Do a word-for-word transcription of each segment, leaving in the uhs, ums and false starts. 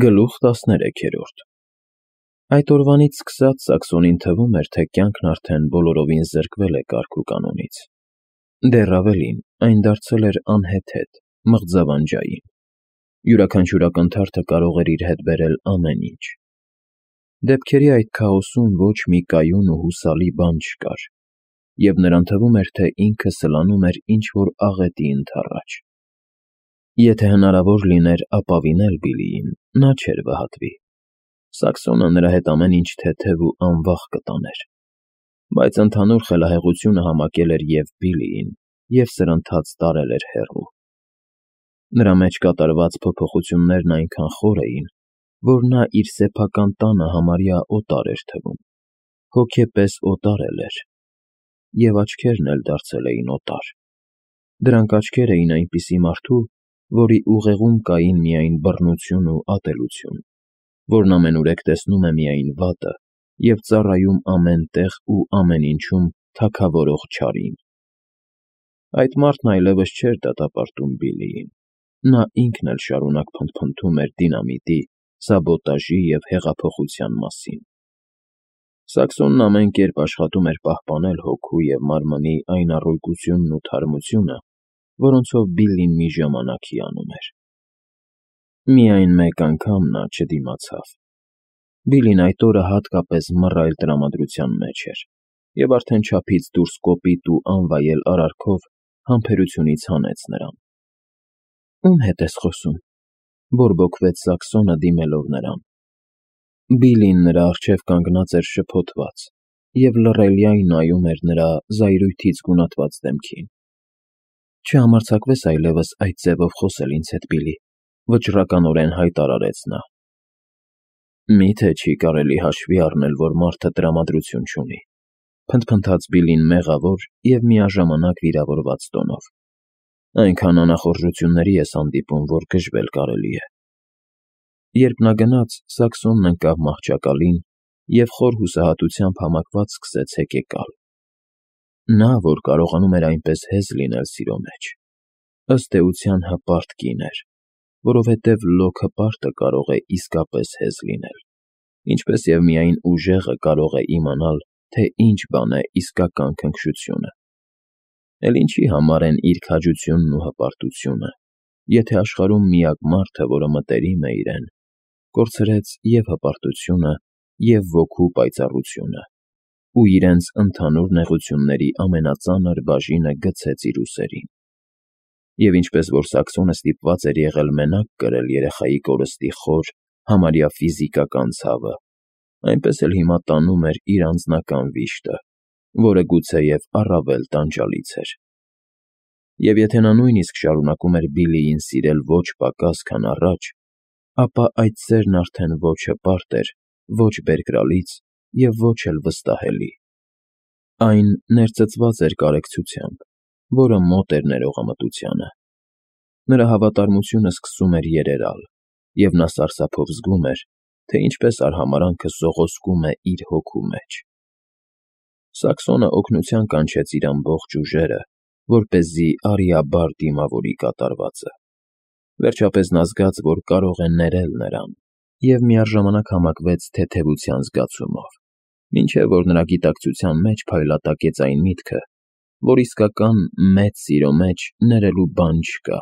Գլուխ տասներեքերորդ Այդ օրվանից սկսած Սաքսոնին թվում էր, թե կյանքն արդեն բոլորովին զրկվել է կարգ ու կանոնից. դեռ ավելին, այն դարձել էր անհեթեթ, մղձավանջային. յուրաքանչյուր ակնթարթը կարող էր իր հետ բերել ամեն ինչ. դեպքերի այդ քաոսում ոչ մի կայուն ու հուսալի բան չկար, և նրան թվում էր, թե ինքը սլանում էր ինչ-որ աղետի ընդառաջ. Եթե հնարավոր լիներ ապավինել Բիլիին, նա չէր վհատվի. Սաքսոնը նրա հետ ամեն ինչ թեթև ու անվախ կտաներ, բայց ընդհանուր խելահեղությունը համակել էր և Բիլիին, և սրընթաց տարել էր հեռու. նրա մեջ կատարված փոփոխություններն այնքան խոր էին, որ նա իր սեփական տանը համարյա օտար էր թվում, հոգեպես օտար էլ էր, և աչքերն էլ դարձել էին օտար. դրանք աչքեր էին այնպիսի մարդու, որի ուղեղում կային միայն բռնություն ու ատելություն, որն ամենուրեք տեսնում է միայն վատը և ծառայում ամեն տեղ ու ամեն ինչում թագավորող չարին. Այդ մարդն այլևս չէր դատապարտում Բիլիին, նա ինքն էլ շարունակ փնթփնթում էր դինամիտի, սաբոտաժի և հեղափոխության մասին: Սաքսոնն ամեն կերպ աշխատում էր պահպանել հոգու և մարմնի այն առօգությունն ու թարմությունը, որոնցով Բիլլին մի ժամանակ հիանում էր: Միայն մեկ անգամ նա չդիմացավ: Բիլին այդ օրը հատկապես մռայլ տրամադրության մեջ էր և արդեն չափից դուրս կոպիտ ու անվայել արարքով համբերությունից հանեց նրան: Ո՞ւմ հետ ես խոսում,- բորբոքվեց Սաքսոնը, դիմելով նրան: Բիլին նրա առջև կանգնած էր շփոթված և լռելյայն նայում էր նրա զայրույթից գունատված դեմքին: Չհամարձակվես այլևս այդ ձևով խոսել ինձ հետ, Բիլլի,- վճռականորեն հայտարարեց նա: Մի՞թե չի կարելի հաշվի առնել, որ մարդը տրամադրություն չունի,- փնթփնթաց Բիլին մեղավոր և միաժամանակ վիրավորված տոնով: Այնքան անախորժությունների ես հանդիպում, որ գժվել կարելի է: Երբ նա գնաց, Սաքսոնն ընկավ մահճակալին և խոր հուսահատությամբ համակված սկսեց հեկեկալ: Նա, որ կարողանում էր այնպես հեզ լինել սիրո մեջ, ըստ էության հպարտ կին էր, որովհետև լոկ հպարտը կարող է իսկապես հեզ լինել, ինչպես և միայն ուժեղը կարող է իմանալ, թե ինչ բան է իսկական քնքշությունը: Էլ ինչի համար են իր քաջությունն ու հպարտությունը, եթե աշխարհում միակ մարդը, որը մտերիմ է իրեն, կորցրեց և հպարտությունը, և ոգու պայծառությունը ու իրենց ընդհանուր նեղությունների ամենածանր բաժինը գցեց իր ուսերին: Եվ ինչպես որ Սաքսոնը ստիպված էր եղել մենակ կրել երեխայի կորստի խոր, համարյա ֆիզիկական ցավը, այնպես էլ հիմա տանում էր իր անձնական վիշտը, որը գուցեև առավել տանջալից էր: Եվ եթե նա նույնիսկ շարունակում էր Բիլիին սիրել ոչ պակաս, քան առաջ, ապա այդ սերն արդեն ոչ հպարտ էր, ոչ բերկրալից և ոչ էլ վստահելի: Այն ներծծված էր կարեկցությամբ, որը մոտ էր ներողամտությանը: Նրա հավատարմությունը սկսում էր երերալ, և նա սարսափով զգում էր, թե ինչպես արհամարհանքը սողոսկում է իր հոգու մեջ: Սաքսոնը օգնության կանչեց իր ամբողջ ուժերը, որպեսզի արիաբար դիմավորի կատարվածը: Վերջապես նա զգաց, որ կարող է ներել նրան և միաժամանակ համակվեց թեթևության զգացումով, մինչև որ նրա գիտակցության մեջ փայլատակեց այն միտքը, որ իսկական մեծ սիրո մեջ ներելու բան չկա: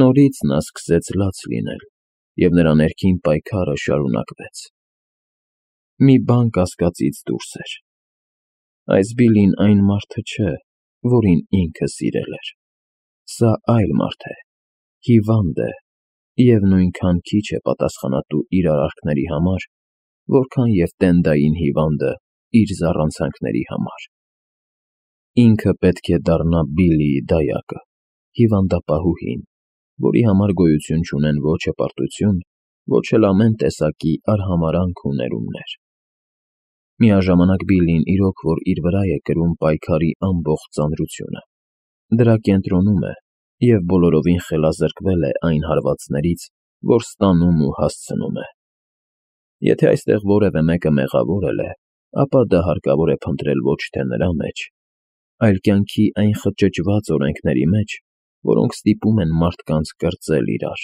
Նորից նա սկսեց լաց լինել, և նրա ներքին պայքարը շարունակվեց: Մի բան կասկածից դուրս էր. այս Բիլին այն մարդը չէ, որին ինքը սիրել էր: Սա այլ մարդ է, հիվանդ է և նույնքան քիչ է պատասխանատու իր արարքների համար, որքան և տենդային հիվանդը իր զառանցանքների համար: Ինքը պետք է դառնա Բիլիի դայակը, հիվանդապահուհին, որի համար գոյություն չունեն ոչ հպարտություն, ոչ էլ ամեն տեսակի արհամարհանք ու ներումներ: Միաժամանակ Բիլին իրոք որ իր վրա է կրում պայքարի ամբողջ ծանրությունը, դրա կենտրոնում է և բոլորովին խելազրկվել է այն հարվածներից, որ ստանում ու հասցնում է: Եթե այստեղ որևէ մեկը մեղավորել է, ապա դա հարկավոր է փնտրել ոչ թե նրա մեջ, այլ կյանքի այն խճճված օրենքների մեջ, որոնք ստիպում են մարդկանց կրծել իրար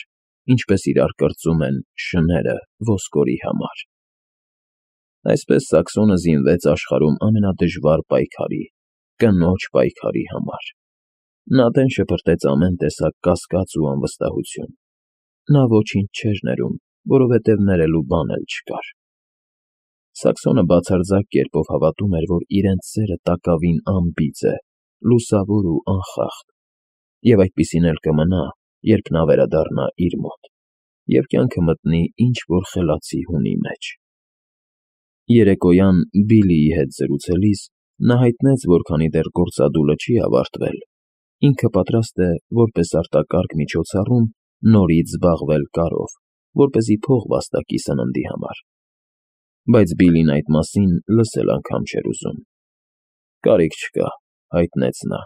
ինչպես իրար կրծում են շները ոսկորի համար։ Այսպես Սաքսոնը զինվեց աշխարհում ամենադժվար պայքարի՝ կնոջ պայքարի համար։ Նա դեն շպրտեց ամեն տեսակ կասկած ու անվստահություն։ Նա ոչինչ չէր ներում, որովհետև ներելու բան էլ չկար։ Սաքսոնը բացարձակ կերպով հավատում էր, որ իրենց սերը տակավին անբիծ է, լուսավոր ու անխախտ, և այդպիսին էլ կմնա, երբ նա վերադառնա իր մոտ և կյանքը մտնի ինչ֊որ խելացի հունի մեջ։ Երեկոյան Բիլլիի հետ զրուցելիս նա հայտնեց, որ քանի դեռ գործադուլը չի ավարտվել, ինքը պատրաստ է որպես արտակարգ միջոցառում նորից զբաղվել կարով, որպեսզի փող վաստակի սննդի համար։ Բայց Բիլլին այդ մասին լսել անգամ չէր ուզում։ Կարիք չկա, հայտնեց նա,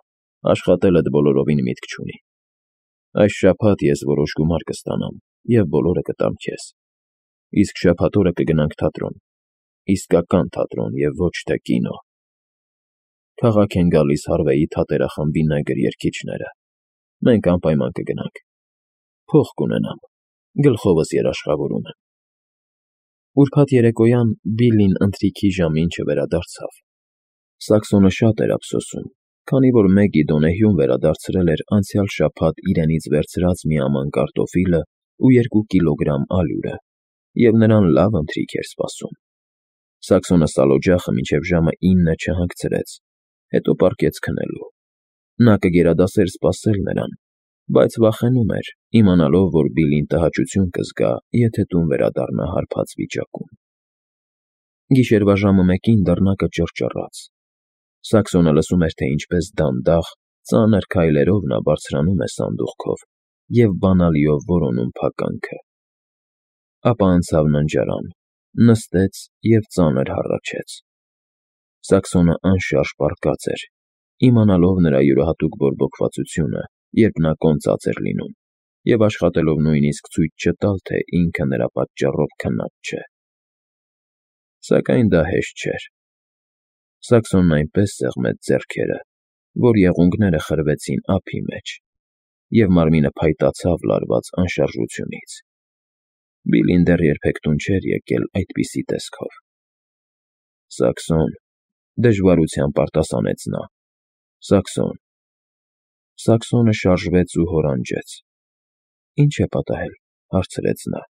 աշխատելդ բոլորովին միտք չունի։ Այս շաբաթ ես որոշ գումար կստանամ և բոլորը կտամ քեզ, իսկ շաբաթ օրը կգնանք թատրոն, իսկական թատրոն և ոչ թե կինո։ Քաղաք են գալիս Հարվեյի թատերախմբի նեգր երգիչները, մենք անպայման կգնանք, փող կունենամ, գլխովս երաշխավորում եմ։ Ուրբաթ երեկոյան Բիլլին ընթրիքի ժամին չվերադարձավ։ Սաքսոնը շատ էր ափսոսում, քանի որ Մեգի Դոնեհյուն վերադարձրել էր անցյալ շաբաթ իրենից վերցրած մի աման կարտոֆիլը ու երկու կիլոգրամ ալյուրը, և նրան լավ ընթրիք էր սպասում։ Սաքսոնը սալօջախը մինչև ժամը ինը չհանգցրեց, հետո պառկեց քնելու։ Նա կգերադասեր սպասել նրան, բայց վախենում էր, իմանալով, որ Բիլլին տհաճություն կզգա, եթե տուն վերադառնա հարբած վիճակում։ Գիշերվա ժամը մեկին դռնակը ճռճռաց։ Սաքսոնը լսում էր, թե ինչպես դանդաղ, ծանր քայլերով նա բարձրանում է սանդուղքով և բանալիով որոնում փականքը։ Ապա անցավ ննջարան, նստեց և ծանր հառաչեց։ Սաքսոնը անշարժ պառկած էր, իմանալով նրա յուրահատուկ բորբոքվածությունը, երբ նա կոնծած էր լինում, և աշխատելով նույնիսկ ցույց չտալ, թե ինքը նրա պատճառով քնած չէ։ Սակայն դա հեշտ չէր։ Սաքսոնն այնպես սեղմեց ձեռքերը, որ եղունգները խրվեցին ափի մեջ, և մարմինը փայտացավ լարված անշարժությունից։ Բիլլին դեռ երբեք տուն չէր եկել այդպիսի տեսքով։ Սաքսոն, դժվարությամբ արտասանեց նա, Սաքսոն… Սաքսոնը շարժվեց ու հորանջեց։ Ի՞նչ է պատահել, հարցրեց նա։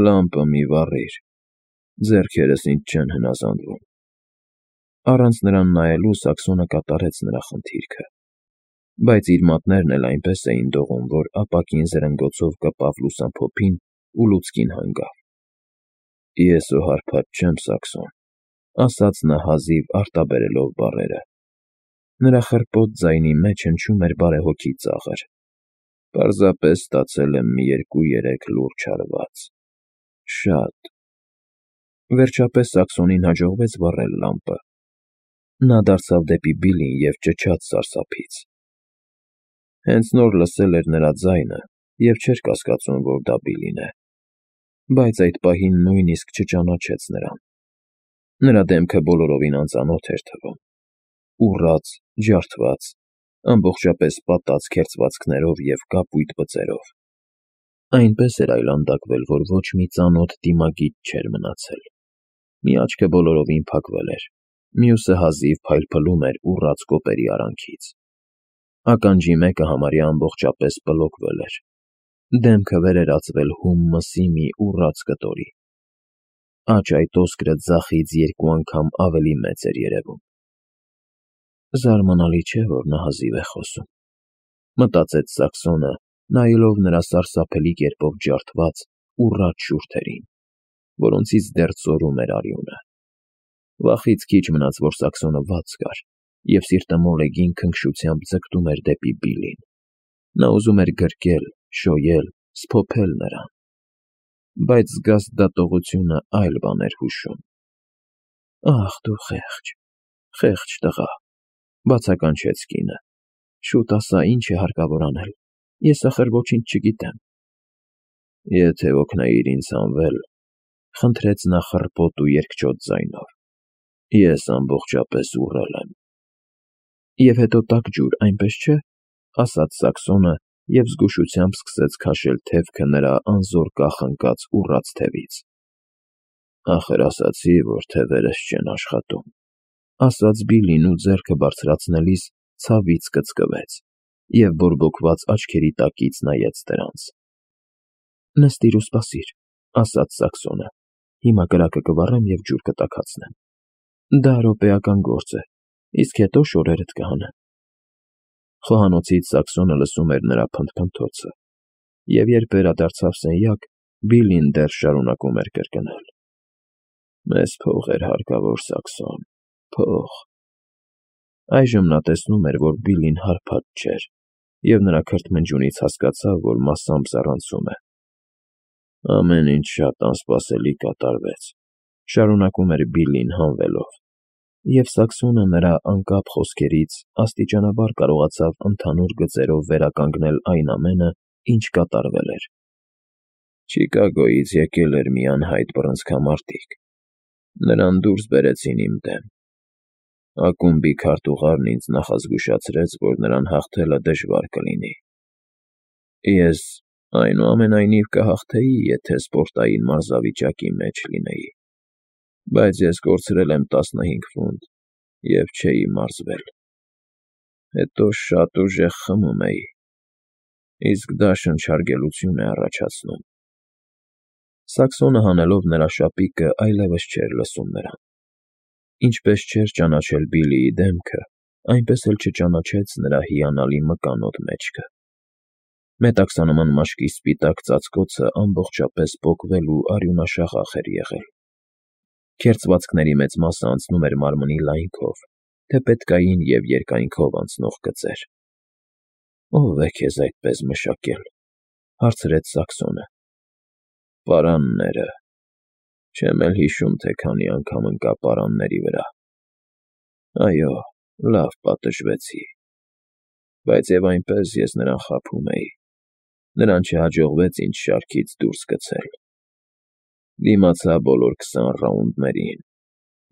Լամպը մի վառիր, ձեռքերս ինձ չեն հնազանդվում։ Առանց նրան նայելու Սաքսոնը կատարեց նրա խնդիրքը, բայց իր մատներն էլ այնպես էին դողում, որ ապակին զրնգոցով կպավ լուսամփոփին ու լուցկին հանգավ։ Ես ու հարբած չեմ, Սաքսոն, ասաց նա հազիվ արտաբերելով բառերը։ Նրա խռպոտ ձայնի մեջ հնչում էր բարեհոգի ծաղր։ Պարզապես ստացել եմ մի երկու֊երեք լուրջ հարված։ Շատ… Վերջապես Սաքսոնին հաջողվեց վառել լամպը։ Նա դարձավ դեպի Բիլլին և ճչաց սարսափից։ Հենց նոր լսել էր նրա ձայնը և չէր կասկածում, որ դա Բիլլին է, բայց այդ պահին նույնիսկ չճանաչեց նրան։ Նրա դեմքը բոլորովին անծանոթ էր թվում։ Ուռած, ջարդված, ամբողջապես պատած քերծվածքներով և կապույտ բծերով։ Այնպես էր այլանդակվել, որ ոչ մի ծանոթ դիմագիծ չէր մնացել։ Մի աչքը բոլորովին փակվել էր, մյուսը հազիվ փայլփլում էր ուռած կոպերի արանքից։ Ականջի մեկը համարյա ամբողջապես պլոկվել էր։ Դեմքը վերերացվել հում մսի մի ուռած կտորի։ Աջ այդ օսկրը ձախից երկու անգամ ավելի մեծ էր երևում։ Զարմանալի չէ, որ նա հազիվ է խոսում, մտածեց Սաքսոնը, նայելով նրա սարսափելի կերպով ջարդված, ուռած շուրթերին, որոնցից դեռ ծորում էր արյունը։ Վախից քիչ մնաց, որ Սաքսոնը վատ զգար, և սիրտը մոլեգին քնքշությամբ ձգտում էր դեպի Բիլլին։ Նա ուզում էր գրկել, շոյել, սփոփել նրան։ Բայց զգաստ դատողությունը այլ բան էր հուշում։ Ախ, դու խեղճ, խեղճ տղա, բացականչեց կինը, շուտ ասա, ինչ է հարկավոր անել, ես ախր ոչինչ չգիտեմ։ Եթե օգնեիր ինձ հանվել, խնդրեց նա խռպոտ ու երկչոտ ձայնով, ես ամբողջապես ուռել եմ։ Եվ հետո տաք ջուր, այնպես չէ, ասաց Սաքսոնը, և զգուշությամբ սկսեց քաշել թևքը նրա անզոր կախնկած ուռած թևից։ «Ախր ասացի, որ թևերս չեն աշխատում», ասաց Բիլլին ու ձեռքը բարձրացնելիս ցավից կծկվեց և բորբոքված աչքերի տակից նայեց դրանց։ «Նստիր ու սպասիր», ասաց Սաքսոնը, «հիմա կրակը կվառեմ և ջուր կտաքացնեմ։ Դա րոպեական գործ է, իսկ հետո շորերդ կհանեմ»։ Խոհանոցից Սաքսոնը լսում էր նրա փնթփնթոցը, և երբ վերադարձավ սենյակ, Բիլլին դեռ շարունակում էր կրկնել. «Մեզ փող էր հարկավոր, Սաքսոն, փող»։ Այժմ նա տեսնում էր, որ Բիլլին հարբած չէր, և նրա քրթմնջյունից հասկացավ, որ մասամբ զառանցում է։ «Ամեն ինչ շատ անսպասելի կատարվեց», շարունակում էր Բիլլին հանվելով, և Սաքսոնը նրա անկապ խոսքերից աստիճանաբար կարողացավ ընդհանուր գծերով վերականգնել այն ամենը, ինչ կատարվել էր։ «Չիկագոյից եկել էր մի անհայտ բռնցքամարտիկ, նրան դուրս բերեցին իմ դեմ։ Ակումբի քարտուղարն ինձ նախազգուշացրեց, որ նրան հաղթելը դժվար կլինի։ Ես, այնուամենայնիվ, կհաղթեի, եթե սպորտային մարզավիճակի մեջ լինեի, բայց ես կորցրել եմ տասնհինգ ֆունտ և չէի մարզվել։ Հետո շատ ուժեղ խմում էի, իսկ դա շնչարգելություն է առաջացնում»։ Սաքսոնը հանելով նրա շապիկը այլևս չէր լսում նրան։ Ինչպես չէր ճանաչել Բիլլիի դեմքը, այնպես էլ չճանաչեց նրա հիանալի մկանոտ մեջքը։ Մետաքսանման մաշկի սպիտակ ծածկոցը ամբողջապես պոկվել ու արյունաշաղախ էր եղել։ Քերծվածքների մեծ մասը անցնում էր մարմնի լայնքով, թեպետկային և երկայնքով անցնող գծեր։ «Ո՞վ է քեզ այդպես մշակել», հարցրեց Սաքսոնը։ «Պարանները։ Չեմ էլ հիշում, թե քանի անգամ ընկա պարանների վրա։ Այո, լավ պատժվեցի, բայց և այնպես ես նրան խաբում էի, նրան չհաջողվեց ինձ շարքից դուրս գցել։ Դիմացա բոլոր քսան ռաունդներին,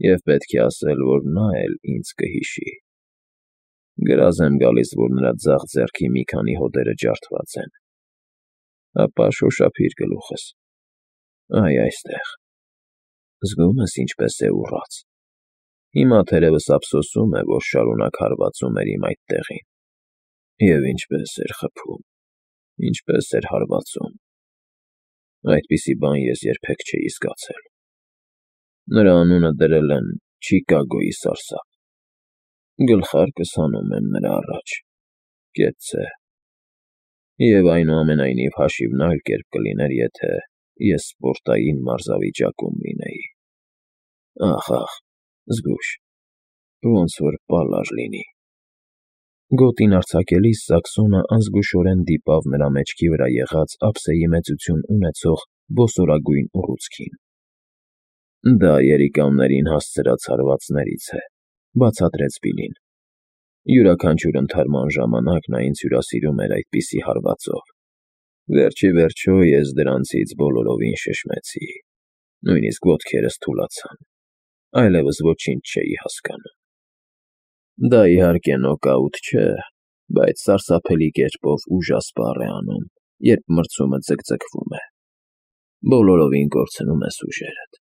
և պետք է ասել, որ նա էլ ինձ կհիշի։ Գրազ եմ գալիս, որ նրա ձախ ձեռքի մի քանի հոդերը ջարդված են։ Ապա շոշափիր գլուխս։ Այ այստեղ։ Զգո՞ւմ ես ինչպես է ուռած։ Հիմա թերևս ափսոսում է, որ շարունակ հարվածում էր իմ այդ տեղին։ Եվ ինչպես էր խփում, ինչպես էր հարվածում։ Այդպիսի բան ես երբեք չէի զգացել։ Նրա անունը դրել են Չիկագոյի սարսափ։ Գլխարկս հանում եմ նրա առաջ։ Կեցցե։ Եվ այնուամենայնիվ հաշիվն այլ կերպ կլիներ, եթե ես սպորտային մարզավիճակում լինեի։ Ախ, ախ, զգույշ, ոնց որ պալար լինի»։ Գոտին արձակելիս Սաքսոնը անզգուշորեն դիպավ նրա մեջքի վրա եղած ափսեի մեծություն ունեցող բոսորագույն ուռուցքին։ «Դա երիկամներին հասցրած հարվածներից է», բացատրեց Բիլլին։ «Յուրաքանչյուր ընդհարման ժամանակ նա ինձ հյուրասիրում էր այդպիսի հարվածով։ Վերջիվերջո ես դրանցից բոլորովին շշմեցի, նույնիսկ ոտքերս թուլացան, այլևս ոչինչ չէի հասկանում։ Դա, իհարկե, նոկաուտ չէ, բայց սարսափելի կերպով ուժասպառ է անում, երբ մրցումը ձգձգվում է։ Բոլորովին կորցնում ես ուժերդ։